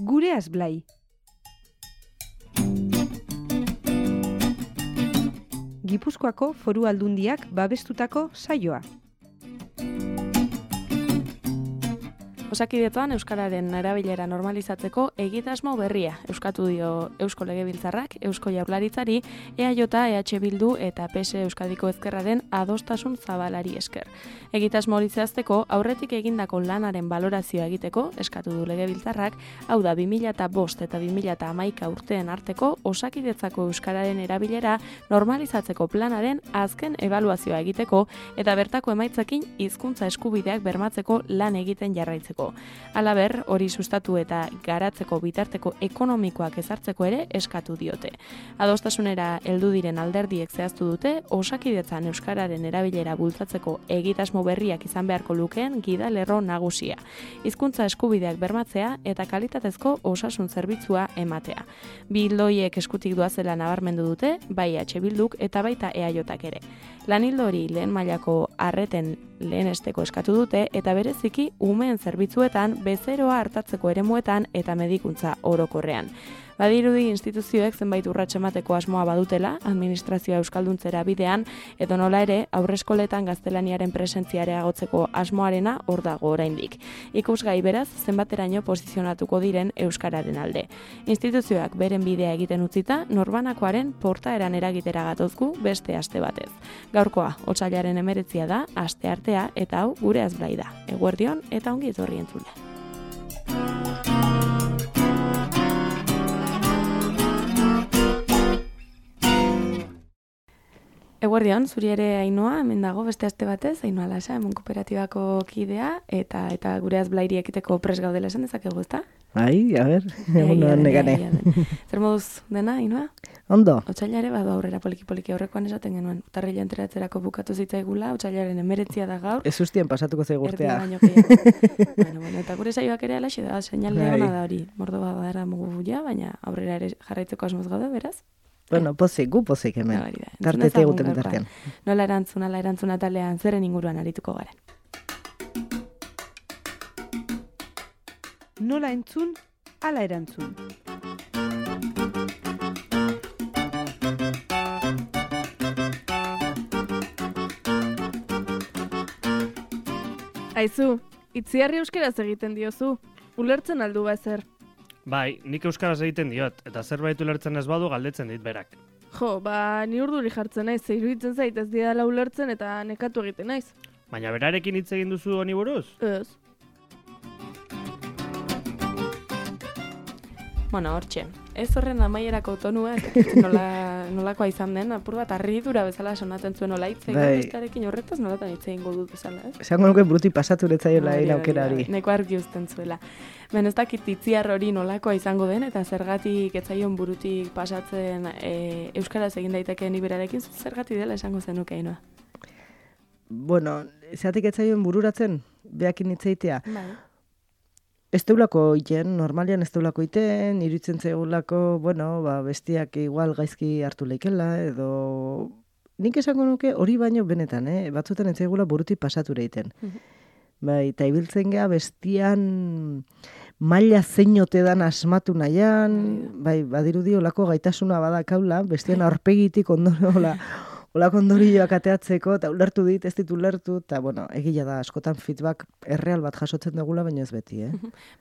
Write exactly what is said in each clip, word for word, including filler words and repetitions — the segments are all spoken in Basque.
Gureaz Blai. Gipuzkoako Foru Aldundiak babestutako saioa. Osakidetzan euskararen erabilera normalizatzeko egitasmo berria euskatu dio Eusko Legebiltzarrak, Eusko Jaurlaritzari, E A J, E H Bildu eta P S Euskadiko Ezkerraren adostasun zabalari esker. Egitasmo hori zehazteko aurretik egindako lanaren balorazioa egiteko eskatu du Legebiltzarrak, hau da bi mila bost eta bi mila hamaika urteen arteko Osakidetzako euskararen erabilera normalizatzeko planaren azken ebaluazioa egiteko eta bertako emaitzekin hizkuntza eskubideak bermatzeko lan egiten jarraitzeko. Halaber, hori sustatu eta garatzeko bitarteko ekonomikoak ezartzeko ere eskatu diote. Adostasunera heldu diren alderdiek zehaztu dute, Osakidetzan euskararen erabilera bultzatzeko egitasmo berriak izan beharko lukeen gidalerro nagusia. Hizkuntza eskubideak bermatzea eta kalitatezko osasun zerbitzua ematea. Bi ildoiek eskutik doazela nabarmendu dute, bai H Bilduk eta baita E A Jak ere. Lanildo hori lehen mailako arreten lehenesteko eskatu dute eta bereziki umeen zerbitzuetan, bezeroa hartatzeko eremuetan eta medikuntza orokorrean. Badirudi instituzioek zenbait urrats emateko asmoa badutela, administrazioa euskalduntzera bidean, edo nola ere haurreskoletan gaztelaniaren presentzia areagotzeko asmoarena hor dago oraindik. Ikusgai beraz, zenbateraino posizionatuko diren euskararen alde. Instituzioak beren bidea egiten utzita, norbanakoaren portaeran eragitera gatozgu beste aste batez. Gaurkoa, otsailaren hemeretzia da, aste artea, eta hau Gureaz Blai da. Eguerdion eta ongi etorri entzule. Eguerdion, zuri ere Ainhoa, hemen dago beste aste batez, Ainhoa Lasa, hemen kooperatibako kidea, eta eta Gureaz Blairi ekiteko pres gaudela esan dezakegu, ezta? Bai, a ber, egun negane. Zer moduz dena, Ainhoa? Ondo. Otsailare badu aurrera poliki-poliki aurrekoan esaten genuen. Urtarrila enteratzerako bukatu zitzaigula, otsailaren hemeretzia da gaur. Ez ustien pasatuko zaigu urtea. Erdi baino gehiago. bueno, bueno, eta gure saioak ere alaxe da, seinale ona da hori. Mordo badara mugu ja, baina aurrera ere jarraitzeko asmoz gaude, beraz? Bueno, pozik, gu pozik hemen. Tartete eguten tartean. Nola erantzuna, la erantzuna talean zeren inguruan arituko garen. Nola entzun, ala erantzun. Aizu, itziarri euskeraz egiten diozu. Ulertzen aldu ba ezer. Bai, nik euskaraz egiten diot, eta zerbait ulertzen ez badu galdetzen dit berak. Jo, ba, ni urduri jartzen naiz, ze iruditzen zait ez didala ulertzen eta nekatu egiten naiz. Baina berarekin hitz egin duzu honi buruz? Ez. Bueno, hortxe, ez horren amaierako tonua, nola, nolakoa izan den, apur bat harridura bezala sonatzen zuen nola hitz egin bestarekin horretaz nolatan hitz egin dut bezala, ez? Esango nuke bruti pasatu letzaiola egin aukera hori. Neko argi uzten zuela. Ben ez dakit itziar hori nolakoa izango den, eta zergatik etzaion burutik pasatzen e, euskaraz egin daitekeen iberarekin, zergatik dela esango zenuke, Ainhoa? Bueno, zeratik etzaion bururatzen, behakin hitzeitea. Bai. Ez deulako iten, normalian ez deulako iten, iruditzen zegulako, bueno, ba, bestiak igual gaizki hartu leikela, edo... Nik esango nuke hori baino benetan, eh? Batzutan ez zegula burutik pasature iten. Bai, eta ibiltzen gea bestian maila zeinote dan asmatu nahian, bai, badirudi olako gaitasuna badakaula, bestian aurpegitik ondoren, hola, olako ondorioak ateatzeko, eta ulertu dit, ez dit ulertu, eta, bueno, egila da, askotan feedback erreal bat jasotzen dugula, baina ez beti, eh?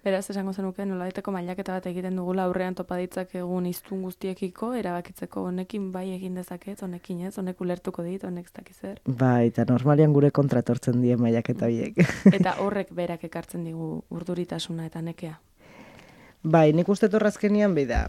Beraz, esango zenuke, nolabaiteko mailaketa bat egiten dugula aurrean topaditzak egun hiztun guztiekiko, erabakitzeko honekin bai egin dezaket, honekin ez, honek ulertuko dit, honek ez dakiz zer. Bai, eta normalian gure kontratortzen die mailaketa horiek. Eta horrek berak ekartzen digu urduritasuna eta nekea. Bai, nik uste torrazkenian behi da.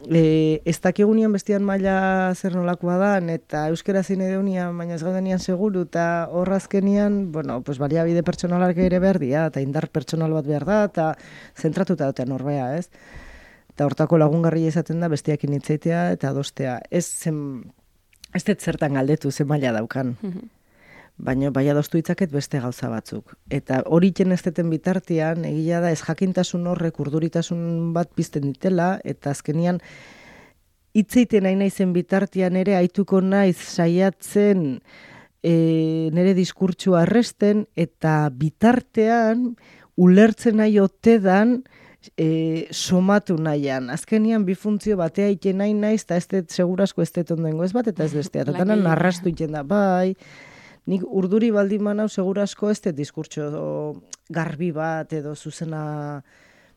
E, ez dakigunian bestian maila zer nolakoa da, eta euskera zine deunian, baina ez gaudenian seguru, eta horrazkenian, bueno, pues baliabide pertsonalak ere behar dira, eta indar pertsonal bat behar da, eta zentratuta dute norbea, ez? Eta hortako lagungarria izaten da bestiakin hitzeitea eta adostea. Ez zen, ez dut zertan galdetu, zen maila daukan. Baina bai adostu ditzaket beste gauza batzuk. Eta hori ez deten bitartean, egia da ez jakintasun horrek urduritasun bat pizten ditela, eta azkenian hitzeiten nahi naizen bitartean ere aituko naiz saiatzen e, nire diskurtsua erresten, eta bitartean ulertzen nahi otedan e, somatu nahian. Azkenian bi funtzio batea iten nahi naiz, eta ez dut segurasko ez dut ondengo ez bat, eta ez bestea. Eta tanan narrastu iten da, bai, nik urduri baldin manau segurasko ez dut diskurtso garbi bat edo zuzena,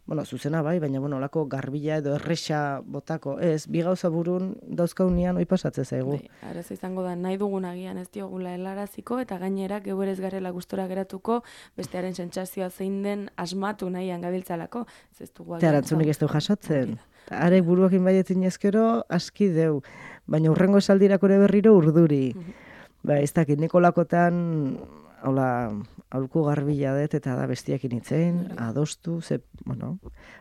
bueno, zuzena bai, baina bueno, olako garbila edo erresa botako, ez, bi gauza burun dauzkaunian oi pasatzen zaigu. Bai, arazo izango da, nahi dugun agian ez diogula helaraziko, eta gainera geuerez garela gustora geratuko, bestearen sentsazioa zein den asmatu nahian gabiltzalako. Ez dugu Eta arantzunik ez du jasotzen. Are buruakin baietin ezkero aski deu, baina urrengo esaldirako ere berriro urduri. Ba, ez dakit, Nikolakotan, hola, aholku garbila dut eta da bestiakin itzen, adostu, ze, bueno,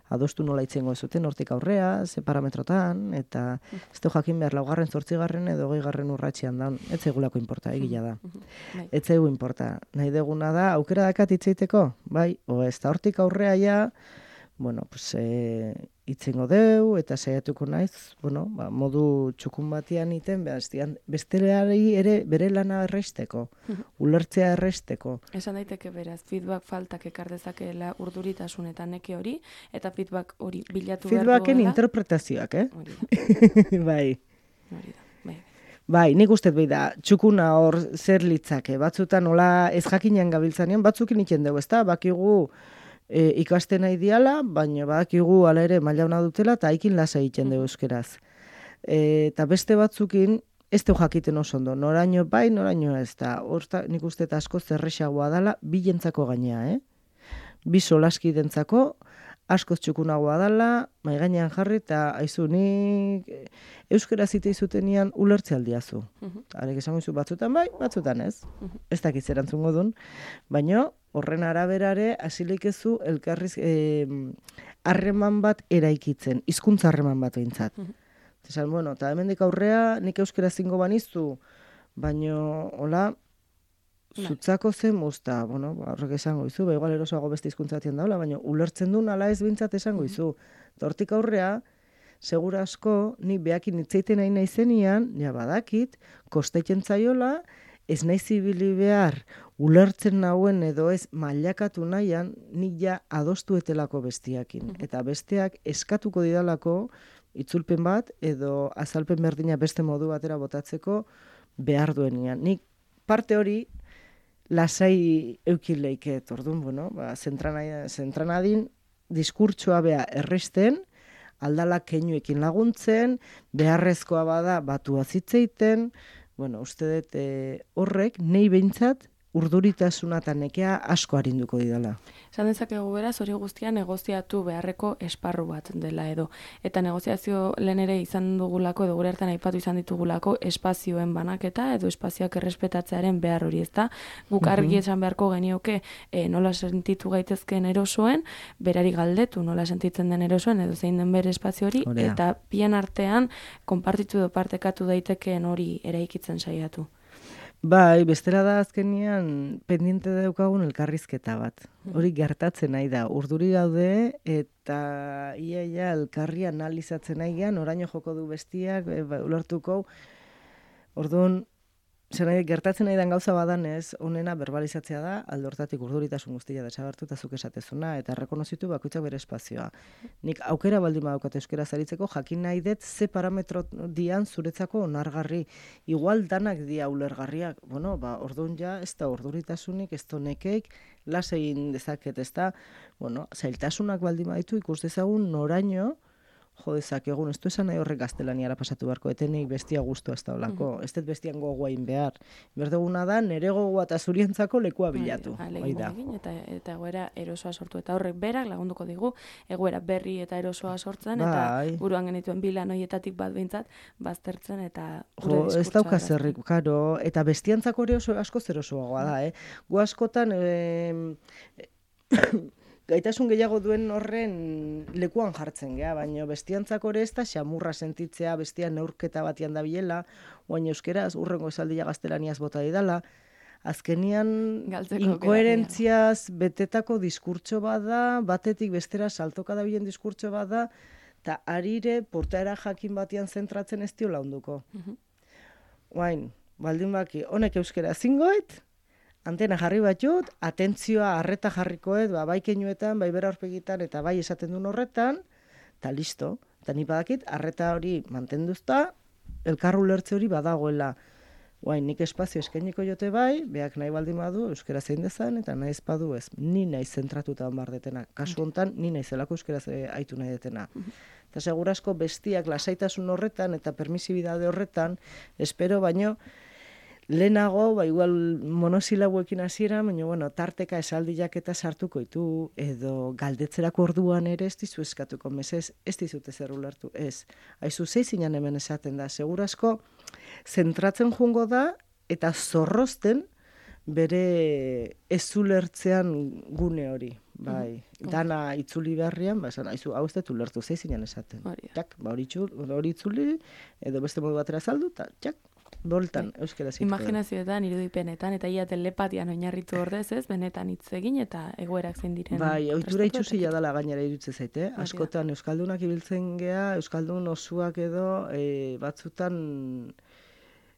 adostu nola itzengo ez zuten, hortik aurrea, ze parametrotan, eta ez du jakin behar laugarren, zortzigarren edo geigarren urratxean daun, ez zegulako importa, egila da. Ez zegu importa, nahi deguna da, aukera dakat itzeiteko, bai, o ez da hortik aurrea ja, bueno, pues, e, itzengo deu, eta saiatuko naiz, bueno, ba, modu txukun batian iten, besteleari ere bere lana erresteko, ulertzea erresteko. Esan daiteke beraz, feedback faltak ekar dezakeela urduritasun eta neke hori, eta feedback hori bilatu behar duela. Feedbacken interpretazioak, eh? Hori da. Bai. Hori da, bai. Bai, nik uste bai da, txukuna hor zer litzake, batzutan nola ez jakinean gabiltzanean, batzukin iten dugu, ezta? Bakigu e, ikasten nahi diala, baina bakigu ala ere mailauna dutela, eta haikin lasa egiten dugu euskeraz. E, eta beste batzukin, ez du jakiten oso ondo, noraino bai, noraino ez da. Horta, nik uste eta asko zerrexagoa dala, bi jentzako gainea, eh? Bi solaski dentzako, askoz txukunagoa dala, mai gainean jarri, eta aizu nik euskera zite izutenian ulertze aldiazu. Uh-huh. Arek esango izu batzutan bai, batzutan ez. Uh-huh. Ez dakit zerantzungo dun, baina horren araberare hasilik ezu elkarriz harreman bat eraikitzen, hizkuntza harreman bat behintzat. Uh-huh. Esan, bueno, eta hemendik aurrea nik euskera zingo banizu, baina, hola, zutzako zen muzta, bueno, horrek esango izu, ba, igual erosoago beste hizkuntzatien daula, baina ulertzen duen ala ez bintzat esango izu. Hortik aurrea, segura asko, ni behakin itzeiten nahi naizenian, ja badakit, kosteitzen zaiola, ez nahi zibili behar, ulertzen nauen edo ez mailakatu nahian, nik ja adostu etelako bestiakin. Eta besteak eskatuko didalako, itzulpen bat, edo azalpen berdina beste modu batera botatzeko behar duenian. Nik parte hori, lasai eukileiket, orduan, bueno, ba, zentranadin diskurtsoa bea erresten, aldala keinuekin laguntzen, beharrezkoa bada batua zitzeiten, bueno, uste dut e, horrek, nei behintzat, urduritasuna eta nekea asko arinduko didala. Esan dezakegu beraz, hori guztia negoziatu beharreko esparru bat dela edo. Eta negoziazio lehen ere izan dugulako, edo gure hartan aipatu izan ditugulako, espazioen banaketa edo espazioak errespetatzearen behar hori, ezta? Guk argi esan beharko genioke e, nola sentitu gaitezkeen erosoen, berari galdetu nola sentitzen den erosoen, edo zein den bere espazio hori, Orea. Eta bien artean konpartitu edo partekatu daitekeen hori eraikitzen saiatu. Bai, bestela da azkenian pendiente daukagun elkarrizketa bat. Hori gertatzen nahi da. Urduri gaude eta iaia elkarri analizatzen nahi gean, oraino joko du bestiak, e, ba, ulertuko. Orduan, zer nahi, gertatzen nahi den gauza badanez, onena verbalizatzea da, alde hortatik urduritasun guztia desagertu eta zuk esatezuna, eta errekonozitu bakoitzak bere espazioa. Nik aukera baldin badaukat euskera zaritzeko, jakin nahi dut ze parametro dian zuretzako onargarri. Igual danak dia ulergarriak. Bueno, ba, orduan ja, ez da urduritasunik, ez da nekeik, las egin dezaket, ez da, bueno, zailtasunak baldin baditu ikus dezagun noraino, jo dezakegun, ez du esan nahi horrek gaztelaniara pasatu beharko, etenik bestia guztua ez da olako, ez dut bestian gogoain behar. Berdeguna da, nere gogoa eta zurientzako lekua bilatu. Egin, eta, eta egoera erosoa sortu, eta horrek berak lagunduko digu, egoera berri eta erosoa sortzen, eta bai. Buruan genituen bilan horietatik bat behintzat, baztertzen, eta jo, ez dauka zerrik, karo, eta bestiantzako ere oso asko zerosoagoa da, eh? Gu askotan, eh, gaitasun gehiago duen horren lekuan jartzen gea, baina bestiantzako ere ez da xamurra sentitzea, bestia neurketa batian da bilela, oain euskeraz, urrengo esaldia gaztelaniaz bota didala, azkenian inkoherentziaz betetako diskurtso bada, batetik bestera saltoka da bilen diskurtso bada, eta arire portaera jakin batian zentratzen ez dio launduko. Oain, baldin baki, honek euskera zingoet, antena jarri batut, atentzioa, arreta jarrikoet, ba, bai keinuetan, bai bera horpegitan, eta bai esaten duen horretan, eta listo. Eta ni badakit, arreta hori mantenduzta, elkarru lertze hori badagoela. Guain, nik espazio eskainiko jote bai, beak nahi baldin badu, euskera zein dezan, eta nahi ezpadu ez. Ni nahi zentratuta bar detena. Kasu hontan, ni nahi zelako euskera aitu nahi detena. Eta segurasko bestiak lasaitasun horretan eta permisibidade horretan, espero baino, lehenago, ba, igual monosilabuekin hasiera, baina, bueno, tarteka esaldiak eta sartuko ditu, edo galdetzerako orduan ere ez dizu eskatuko, mesez, ez dizute zer ulertu, ez. Aizu, zeizinan hemen esaten da, segurasko, zentratzen jungo da, eta zorrozten bere ez ulertzean gune hori. Bai, dana itzuli beharrian, ba, esan, aizu, hau ez dut ulertu, zeizinan esaten. Txak, ba, hori itzuli, edo beste modu batera saldu, eta txak, boltan, euskera zitu. Imaginazioetan, irudipenetan, eta ia telepatian oinarritu ordez, ez, benetan hitz egin eta egoerak zein diren. Bai, ohitura itxusia dela gainera iruditze zaite. Askotan euskaldunak ibiltzen gea, euskaldun osuak edo e, batzutan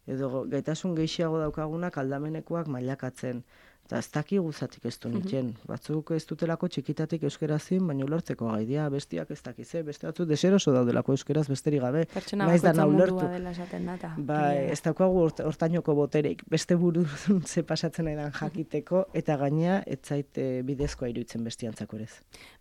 edo gaitasun gehiago daukagunak aldamenekoak mailakatzen. Eta ez daki guzatik ez du nitzen. Batzuk ez dutelako txikitatik euskera zin, baina ulertzeko gaidia, bestiak ez dakize, beste batzu deseroso daudelako euskeraz besterik gabe. Pertsona bakoitza mundua dela esaten data. Bai, ez daukagu hortainoko botereik, beste burun ze pasatzen edan jakiteko, eta gaina ez zaite bidezkoa iruditzen bestiantzako ere.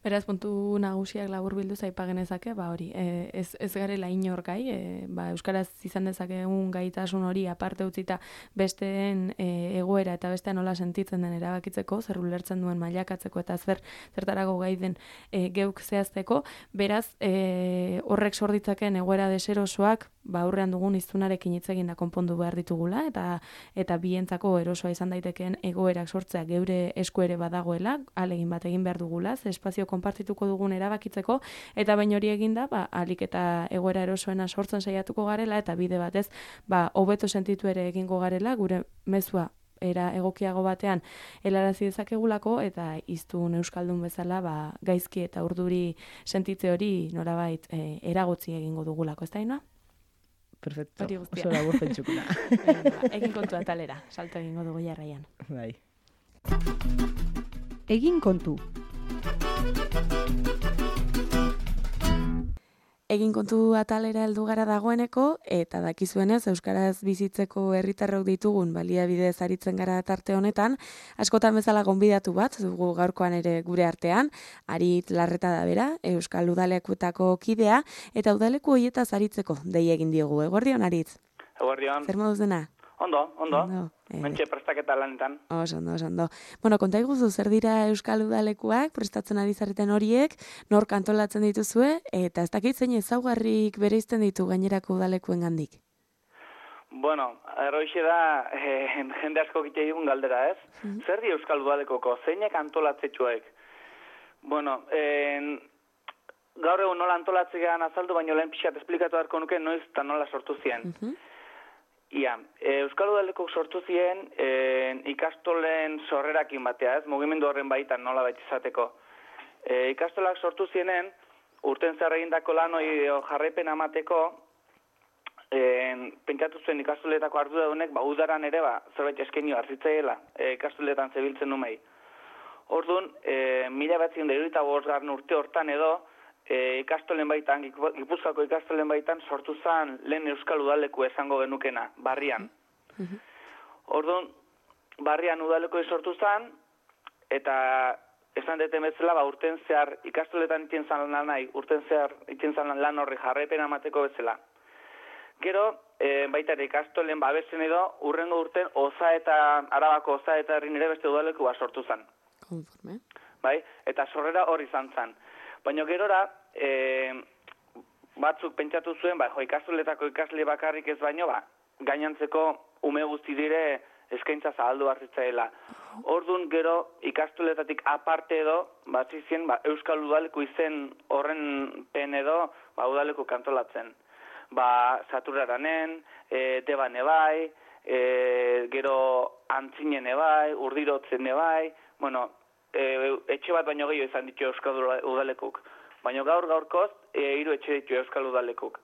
Beraz, puntu nagusiak labur bildu zaipa genezake, ba hori, e, ez, ez garela inor gai, e, ba, euskaraz izan dezakegun gaitasun hori aparte utzita besteen e, egoera eta bestean nola sentitzen den erabakitzeko, zer ulertzen duen mailakatzeko eta zer zertarago gai den e, geuk zehazteko, beraz e, horrek sorditzaken egoera deserosoak ba aurrean dugun hiztunarekin hitz egin da konpondu behar ditugula eta eta bientzako erosoa izan daitekeen egoerak sortzea geure esku ere badagoela, alegin bat egin behar dugula, ze espazio konpartituko dugun erabakitzeko eta bain hori eginda, ba alik eta egoera erosoena sortzen saiatuko garela eta bide batez, ba hobeto sentitu ere egingo garela gure mezua era egokiago batean helarazi dezakegulako eta hiztun euskaldun bezala ba gaizki eta urduri sentitze hori norabait e, eragotzi egingo dugulako, ez da ina? Perfecto. Oso labur pentsukuna. Egin kontu atalera, salto egingo dugu jarraian. Bai. Egin kontu. Egin kontu atalera heldu gara dagoeneko, eta dakizuenez euskaraz bizitzeko herritarrok ditugun baliabide aritzen gara tarte honetan, askotan bezala gonbidatu bat dugu gaurkoan ere gure artean, Arit Larreta da bera, Euskal Udalekutako kidea, eta udaleku horietaz aritzeko dei egin diogu. Eguerdion, Arit? Eguerdion. Zer moduz dena? Ondo, ondo. ondo. Eh. Mentxe prestaketa lanetan. Oso ondo, oso ondo. Bueno, konta iguzu, zer dira Euskal Udalekuak, prestatzen ari zareten horiek, nor kantolatzen dituzue, eta ez dakit zein ezaugarrik bereizten ditu gainerako udalekuen gandik? Bueno, erroixe da, eh, jende asko gite digun galdera, ez? Mm-hmm. Zer di Euskal Udalekoko, zeinek antolatzetxuek? Bueno, eh, gaur egun nola antolatzean azaldu, baino lehen pixat esplikatu beharko nuke noiz eta nola sortu zien. Mm-hmm. Ia, e, Euskal Udalekok sortu ziren e, ikastolen sorrerakin batea, ez? Mugimendu horren baitan nola baita izateko. E, ikastolak sortu zienen, urten zer egindako lan hori jarraipen amateko, e, pentsatu zuen ikastoletako arduradunek, ba, udaran ere, ba, zerbait eskaini hartzitzaiela, e, ikastoletan zebiltzen numei. Orduan, e, mila batzien da irudita bosgarren urte hortan edo, E, ikastolen baitan, Gipuzkoako ikastolen baitan sortu zen lehen Euskal Udaleku esango genukena, barrian. Mm-hmm. Orduan, barrian udaleku sortu zen, eta esan deten bezala, ba, urten zehar ikastoletan itien zan lan nahi, urten zehar itien zan lan horri jarraipen amateko bezala. Gero, e, baita ere ikastolen babesen edo, urrengo urten Oza eta Arabako Oza eta herrin ere beste udaleku bat sortu zen. Konforme. Bai? Eta sorrera hori izan zen. Baina gerora, e, batzuk pentsatu zuen, ba, jo, ikastoletako ikasle bakarrik ez baino, ba, gainantzeko ume guzti dire eskaintza zabaldu hartzitzaela. Orduan gero ikastoletatik aparte edo, bat zizien, ba, Euskal Udaleku izen horren pen edo, ba, udaleku kantolatzen. Ba, Saturaranen, e, Deban ebai, e, gero Antzinen ebai, Urdirotzen ebai, bueno, E, etxe bat baino gehiago izan ditu Euskal Udalekuk. Baina gaur gaurkoz, e, hiru etxe ditu Euskal Udalekuk.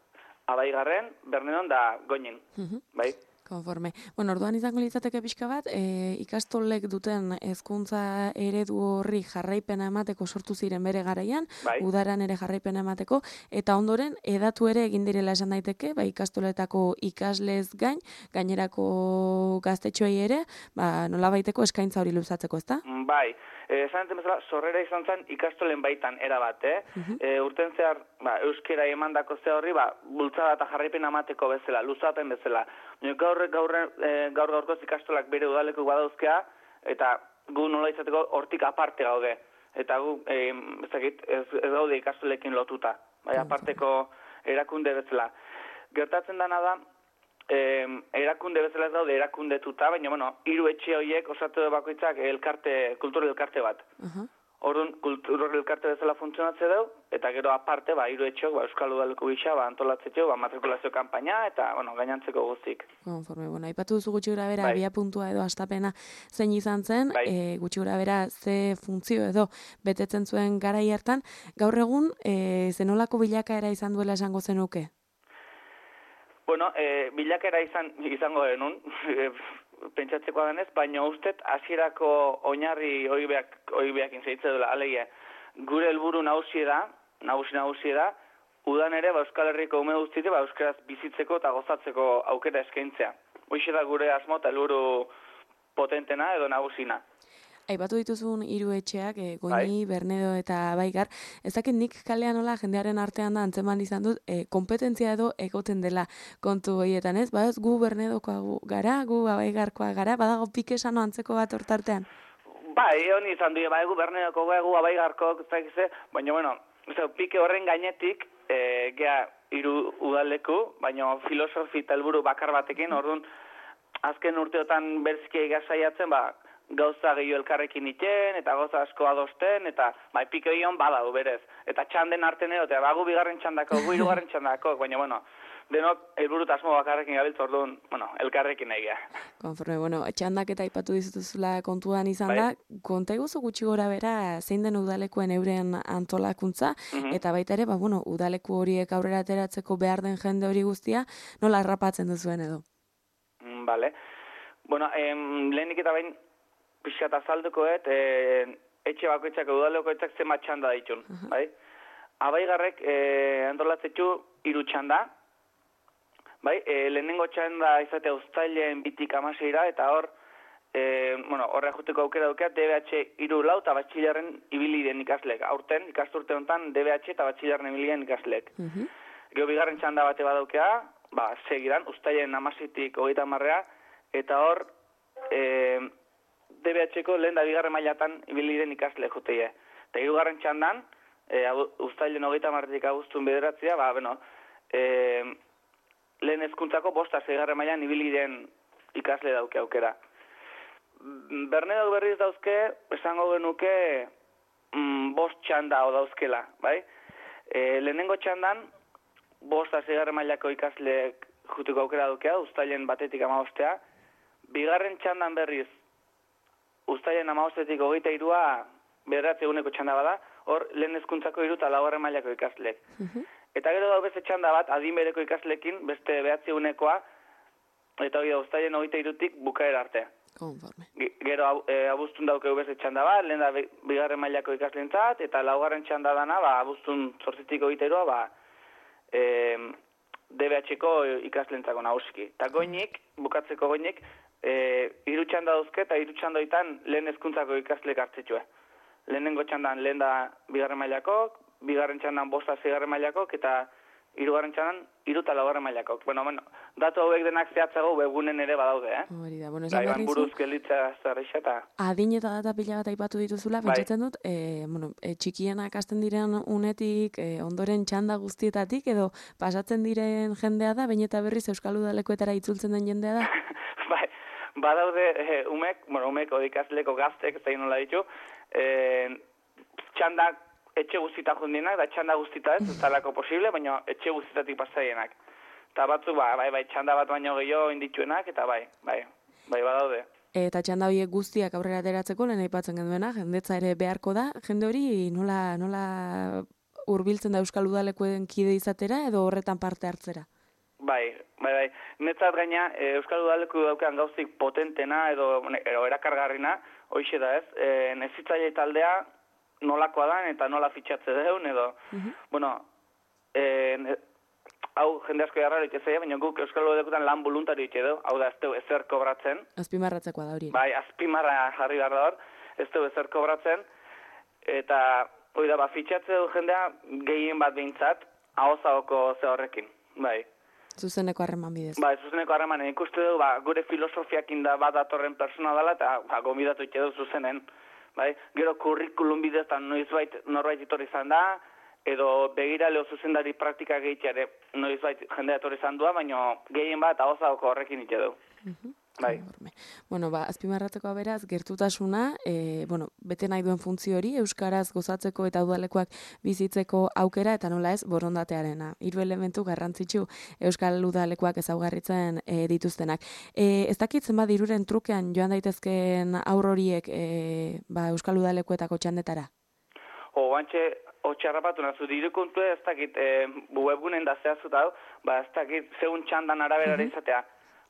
Abaigarren, Bernenon da Goñin. Mm-hmm. Bai? Konforme. Bueno, orduan izango litzateke pixka bat, e, ikastolek duten hezkuntza eredu horri jarraipena emateko sortu ziren bere garaian, Bai. udaran ere jarraipena emateko, eta ondoren edatu ere egin direla esan daiteke, ba, ikastoletako ikaslez gain, gainerako gaztetxoei ere, ba, nolabaiteko eskaintza hori luzatzeko, ezta? Bai, esan enten bezala, sorrera izan zen ikastolen baitan erabat, eh? Mhm. E, urten zehar, ba, euskera emandako ze horri, ba, bultzada eta jarraipen amateko bezala, luzapen bezala. Gaur, gaur, e, gaur gaurkoz ikastolak bere udaleko badauzkea, eta gu nola izateko hortik aparte gaude. Eta gu, e, ez, dakit, ez, ez gaude ikastolekin lotuta, bai, aparteko erakunde bezala. Gertatzen dana da, Eh, erakunde bezala ez daude erakundetuta, baina, bueno, hiru etxe horiek osatu bakoitzak elkarte, kultura elkarte bat. Uh-huh. Orduan, kultura elkarte bezala funtzionatze dau, eta gero aparte, ba, hiru etxeok, ba, Euskal Udaleko gisa, ba, antolatzetxo, ba, matrikulazio kanpaina, eta, bueno, gainantzeko guztik. Konforme, bueno, aipatu duzu gutxi gura bera, Bai. abia puntua edo astapena zein izan zen, Bai. e, gutxi gura bera ze funtzio edo betetzen zuen garai hartan, gaur egun, e, zenolako bilakaera izan duela esango zenuke? Bueno, e, bilakera izan izango denun, e, pentsatzekoa denez, baina ustet hasierako oinarri oibeak oibeak intzaitze dela, alegia. Gure helburu nagusi da, nagusi nagusi da, udan ere ba, Euskal Herriko ume guztiek ba, euskaraz bizitzeko eta gozatzeko aukera eskaintzea. Hoxe da gure asmo eta helburu potentena edo nagusina. Aipatu dituzun hiru etxeak, e, Goñi, Bernedo eta Baigar, ez dakit nik kalean nola jendearen artean da antzeman izan dut, e, kompetentzia edo egoten dela kontu horietan, ez? Ba, ez gu Bernedokoa gu gara, gu Baigarkoa gara, badago pike sano antzeko bat hortartean. Bai, honi izan du, bai, gu Bernedoko, gu Baigarko, ez dakize, baina, bueno, ez pike horren gainetik, e, gea hiru udaleku, baina filosofi eta helburu bakar batekin, orduan, azken urteotan berziki egasaiatzen, ba, gauza gehiago elkarrekin iten, eta gauza asko adosten, eta bai, pike horion badau berez. Eta txanden arten edo, eta bagu bigarren txandako, gu hirugarren txandako, baina, bueno, denok helburu eta asmo bakarrekin gabiltz, orduan, bueno, elkarrekin egia. Konforme, bueno, txandak eta aipatu dizutuzula kontuan izan Bai. da, konta iguzu gutxi gora bera zein den udalekuen euren antolakuntza, Mhm. eta baita ere, ba, bueno, udaleku horiek aurrera ateratzeko behar den jende hori guztia, nola harrapatzen duzuen edo? Mm, Vale. Bueno, em, lehenik eta bain, pixkat azaldukoet, e, etxe bakoitzak, udalekoitzak zenbat txanda ditun, bai? Abaigarrek e, antolatzetxu hiru txanda, bai? E, lehenengo txanda izatea uztailen bitik amaseira, eta hor, e, bueno, horre juteko aukera dukeat, D B H hiru lau eta batxilerren ibili den ikaslek. Aurten, ikasturte honetan, D B H eta batxilerren ibili den ikaslek. Mhm. Gero bigarren txanda bate badaukea, ba, segidan, uztailen amasitik hogeita marrea, eta hor, e, D B H-ko lehen da bigarren mailatan ibili den ikasle joteie. Eta hirugarren txandan, e, uztailen hogeita marretik abuztun bederatzea, ba, bueno, e, lehen hezkuntzako bosta seigarren mailan ibili den ikasle dauke aukera. Bernedo berriz dauzke, esango genuke, mm, bost txanda o dauzkela, bai? E, lehenengo txandan, bosta seigarren mailako ikasleek juteko aukera daukea, uztailen batetik amabostea. Bigarren txandan berriz, uztailen amabostetik hogeita irua bederatzi eguneko txanda bada, hor lehen hezkuntzako hiru eta laugarren mailako ikasleek. Eta gero dago beste txanda bat, adin bereko ikaslekin, beste behatzi egunekoa, eta hori da uztailen hogeita irutik bukaera arte. Konforme. Ge- Gero e, abuztun daukeu beste txanda bat, lehen da bi- bigarren mailako ikaslentzat, eta laugarren txanda dana, ba, abuztun zortzitik hogeita irua, ba, e, D B H-ko ikaslentzako nagusiki. Eta goinik, bukatzeko goinik, e, hiru txanda dauzke, eta hiru txandoitan lehen hezkuntzako ikaslek hartzetxue. Lehenengo txandan lehen da bigarren mailakok, bigarren txandan bosta seigarren mailakok, eta hirugarren txandan hiru eta laugarren mailakok. Bueno, bueno, datu hauek denak zehatzago webgunen ere badaude, eh? Hori da, bueno, Da, esan iban behar buruz dizu, gelitza zerreixa eta... adin eta data pila bat aipatu dituzula, Bai. pentsatzen dut, e, bueno, e, txikienak hasten diren unetik, e, ondoren txanda guztietatik, edo pasatzen diren jendea da, baina eta berriz Euskal Udalekoetara itzultzen den jendea da? bai, badaude eh, umek, bueno, umek odikasleko gaztek, zein nola ditu, eh, txandak etxe guztita jundienak, da txanda guztita ez, ez talako posible, baina etxe guztitatik pasaienak. Eta batzu, ba, bai, bai, txanda bat baino gehiago indituenak, eta bai, bai, bai, badaude. Eta txanda horiek guztiak aurrera ateratzeko lehen aipatzen genuena, jendetza ere beharko da, jende hori nola, nola hurbiltzen da Euskal Udalekoen kide izatera edo horretan parte hartzera? Bai, bai, bai. Netzat gaina, e, Euskal Udaleku daukan gauzik potentena edo, edo erakargarrina, hoixe da ez, e, nezitzaile taldea nolakoa da eta nola fitxatze deun edo, uh-huh. bueno, e, ne, hau jende asko jarraro itezaia, baina guk Euskal Udalekutan lan voluntario ite edo, hau da ez teu ezer kobratzen. Azpimarratzekoa da hori. Bai, azpimarra jarri behar da hor, ez teu ezer kobratzen, eta hori da, ba, fitxatze du jendea gehien bat behintzat, ahozagoko ze horrekin, bai. Zuzeneko harreman bidez. Ba, zuzeneko harreman, ikuste du, ba, gure filosofiakin da bat datorren persona dela, eta ba, gombidatu ite du zuzenen. Bai? Gero kurrikulum bidez, eta noizbait norbait etorri izan da, edo begira leo zuzendari praktika gehitxare noizbait jendea etorri izan dua, baina gehien bat ahozako horrekin ite du. Uh-huh. Bai. Bueno, ba, azpimarrateko beraz, gertutasuna, e, bueno, bete nahi duen funtzio hori, euskaraz gozatzeko eta udalekoak bizitzeko aukera, eta nola ez, borondatearena. Hiru elementu garrantzitsu euskal udalekoak ezaugarritzen e, dituztenak. E, ez dakit zenbat diruren trukean joan daitezkeen aur horiek e, ba, euskal udalekoetako txandetara? O, bantxe, otxarrapatu nazu, dirukontu ez dakit, e, webgunen da zehazut hau, ba, ez dakit, zeun txandan araberara uh-huh. izatea.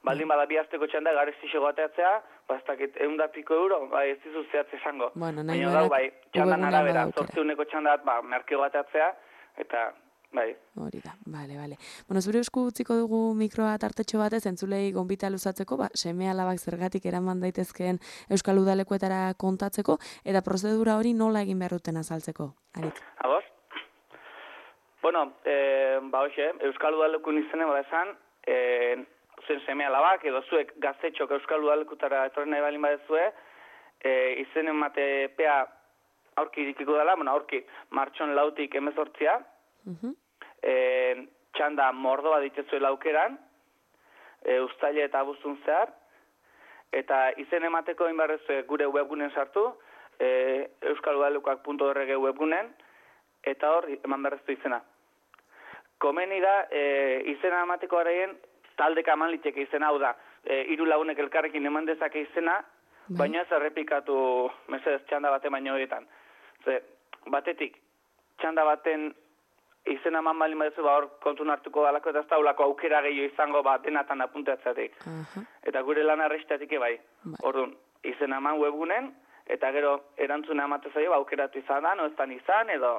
Baldin bada bi asteko txanda gareztixo gateatzea, ba ez dakit egun da piko euro, bai ez dizu zehatze esango. Bueno, baina gau, bai, txandan arabera, zortzeuneko txandat, ba, merkeo gateatzea, eta, bai. Hori da, bale, bale. Bueno, zure esku utziko dugu mikroa tartetxo batez, entzulei gonbita luzatzeko, ba, seme alabak zergatik eraman daitezkeen Euskal Udalekuetara kontatzeko, eta prozedura hori nola egin behar duten azaltzeko, Arik? Ados? Bueno, eh, ba, hoxe, Euskal Udalekun izenen, bada esan, eh, zuen seme alabak, edo zuek gaztetxok Euskal Udalekutara etorri nahi balin badezue, e, izen ematepea aurki irikiko dela, bueno, aurki martxon lautik emezortzia, uh-huh. e, txanda mordoa ditezuela aukeran, e, ustaile eta abuztun zehar, eta izen emateko inbarrezue gure webgunen sartu, e, euskal udalekuak puntu org webgunen, eta hor eman berreztu izena. Komeni da, e, izena emateko araien, taldeka eman liteke izena, hau da, e, hiru lagunek elkarrekin eman dezake izena, bai. Baina ez errepikatu mesedez txanda baten baino horietan. Ze, batetik, txanda baten izena eman balin badezu, ba hor kontun hartuko dalako, eta ez daulako aukera gehiago izango ba, denatan apuntatzeatik. Uh-huh. Eta gure lan arrestatik bai. bai. Orduan, izena eman webgunen, eta gero erantzuna ematezaio, ba, aukeratu izan da, no ez izan, edo...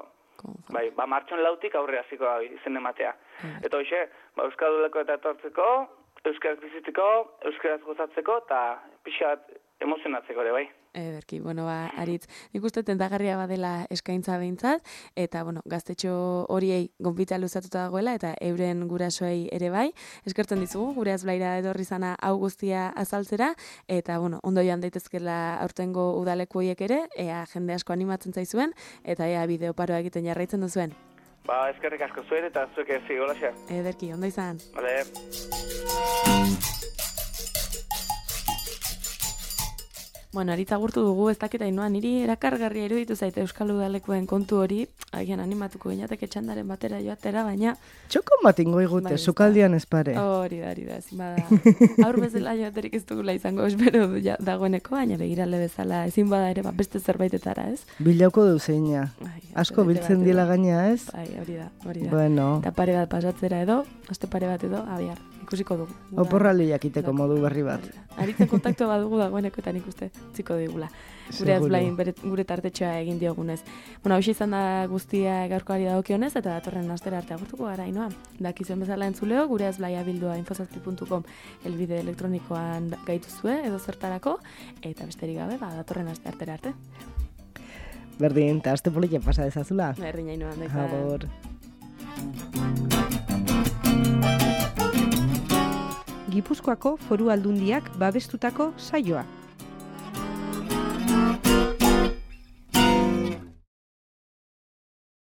Bai, ba, martxon lautik aurre hasiko izen ematea. Mm. Eta hoxe, ba, Euskal Udaleko eta etortzeko, euskaraz bizitzeko, euskaraz gozatzeko, eta pixat emozionatzeko ere, bai. Ederki, bueno, ba, Aritz, nik uste tentagarria badela eskaintza behintzat, eta, bueno, gaztetxo horiei gonbita luzatuta dagoela, eta euren gurasoei ere bai. Eskertzen dizugu, gure azblaira edorri zana hau guztia azaltzera, eta, bueno, ondo joan daitezkela aurtengo udaleku horiek ere, ea jende asko animatzen zaizuen, eta ea bideoparoa egiten jarraitzen duzuen. Ba, eskerrik asko zuen, eta zuek ez zigola xe. Ederki, ondo izan. Vale. Bueno, Aritz agurtu dugu, ez dakita inoa, niri erakargarria iruditu zaite Euskal Udalekuen kontu hori, agian animatuko gineateke txandaren batera joatera, baina... Txokon bat ingo igute, bai, sukaldian ez pare. Hori da, hori da, ezin bada. Aur bezala joaterik ez dugula izango espero ja, dagoeneko, baina begirale bezala ezin bada ere, ba, beste zerbaitetara, ez? Bilauko duzeina. Asko biltzen dila gaina, ez? Bai, hori da, hori da. Bueno. Eta pare bat pasatzera edo, aste pare bat edo, abiar, ikusiko dugu. Oporraldi jakiteko modu berri bat. Aritzen kontaktu badugu dagoeneko eta nik uste ziko digula. Gure azblain gure tartetxoa egin diogunez. Bueno, hausia izan da guztia gaurkoari dagokionez eta datorren astera arte agurtuko gara inoa. Dakizuen bezala entzuleo, gure azblaia bildua infozazpi puntu com elbide elektronikoan gaituzue edo zertarako, eta besterik gabe, ba, datorren aste artera arte. Berdin, eta aste politia pasa dezazula. Berdin, hainoan, daizan. Agur. Gipuzkoako Foru Aldundiak babestutako saioa.